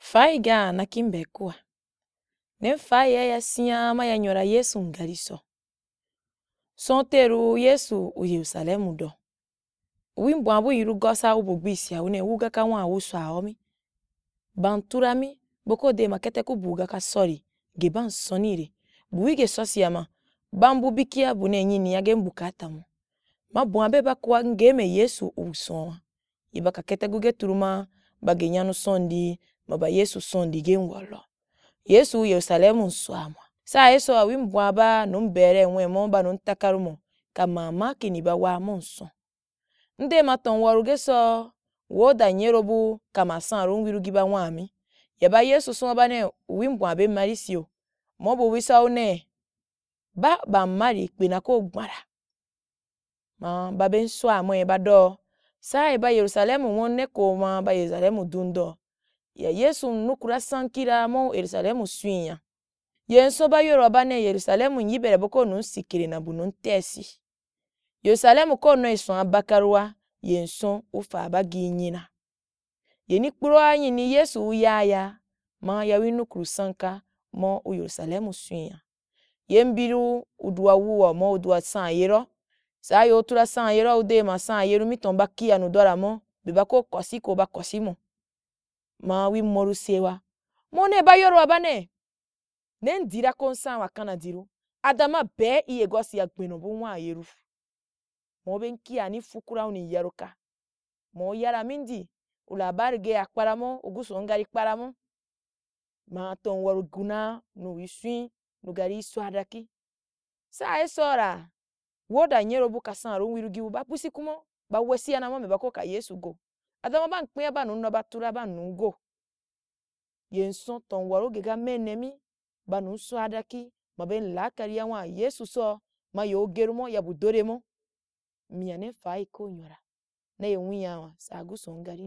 Faiga na kimbekua, ne mfai ya sian ma ya nyora Yesu ngari so. Son teru Yesu u Yerusalemu do, uwi mbwan bu yiru gosa ubo gbisia une wuga ka wan wuswa homi, ban turami boko dema kete ku bu ga ka sori ge ban sonire, bu ge sosia ma, ban bu bikia bu ne nyini ge mbukata mu, ma bwan be ba koa nge me Yesu uson'a, ye ba ka kete bu ge turuma ba ge nyanu sondi ma ba Yesu sondi ge nwolo. Yesu u Yerusalemu nswamua, saye soa wi mbwan ba num bere nwen mo ba num takarumo ka mamaki ni ba waa monson. Nde ma tonwaru ge soo, woda nyero bu ka masan ru nwiru gi ba nwaami, ya ba Yesu son ba uwi mbwan be marisio, ma ubi bisau ne, ba bam mari kpe na ko gbara, ma ba ben swa moe ba dao, saye ba Yerusalemu nwun ne ko ma ba Yerusalemu dun doo, ya Yesu nukura sankira ma Yerusalemu swin yen son ba yoroa ba ne Yerusalemu nyi bere boko num sikere na bu num tesi, Yerusalemu ko noi son abakarua, yen son ufa ba gi nyina, yeni kpuroa yini Yesu uyaya ma ya wi nukuru sanka ma u Yerusalemu swin'a. Yen biru udua wuwa ma udua san yero, saa yo tura san yeroa ude ma san yeru miton ba ki anudora mo be ba ko kosi ko ba kosimo, ma wi moruse ba, ma une ba yoroa ba ne, nen dira ko nsan wa kana diru, adama bɛɛ iye gosi ya gbenɔ bu nwa yeru, ma ube kia ni fukura uni ya roka, ma uyara mindi, ulabari ge ya kpara mo, uguso ngari kpara mo, ma tonwaru gu naa nu swin nu gari swa daki, saye sora, woda nyero bu ka san ru nwiru gibu ba busi kumo ba wesia na mo mbe ba ko ka Yesu go, adama baa nkpea baa num no ba tura baa nnum go, yen son tonwaru ge ga mene mi, ba num swadaki ma ben laakari ya nwa Yesu soa ma yeu geru mo ya bu dore mo, nmya ne mfai ko nyora, na ye nwunyahun saa guson ngari.